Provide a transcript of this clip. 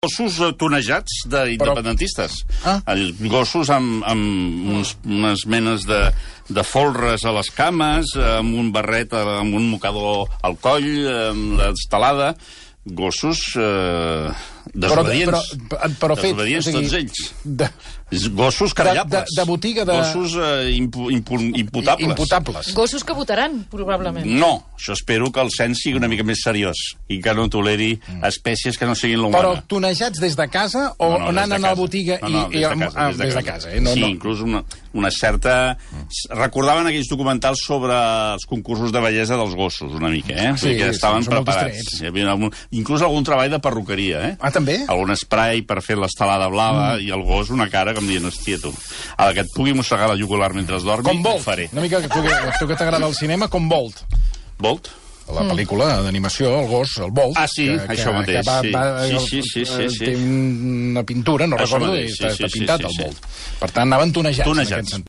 gossos tonejats d'independentistes. Gossos amb unes menes de folres a les cames, amb un barret, amb un mocador al coll, amb l'estelada. Gossos desobedients. Però fets, desobedients, tots ells. Gossos carallables. De botiga de... Gossos imputables. Imputables. Gossos que votaran, probablement. No, això espero que el cens sigui una mica més seriós i que no toleri espècies que no siguin l'humana. Però tonejats des de casa o anant a la botiga i... No, des de casa. Sí, inclús una certa... Recordaven aquells documentals sobre els concursos de bellesa dels gossos, una mica, eh? Sí, que estaven preparats. Hi havia inclús algun treball de perruqueria, eh? Ah, també? Algun spray per fer l'estelada blava i el gos una cara com dient, hòstia, tu, a la que et pugui mossegar la jugular mentre dormi, com Bolt. Ho faré. Una mica tu que t'agrada el cinema, com Bolt. Bolt? La pel·lícula d'animació, el gos, el Bolt. Ah, sí, això mateix. Sí. Té una pintura, no recordo, i està pintat el Bolt. Per tant, anaven tonejats en aquest sentit.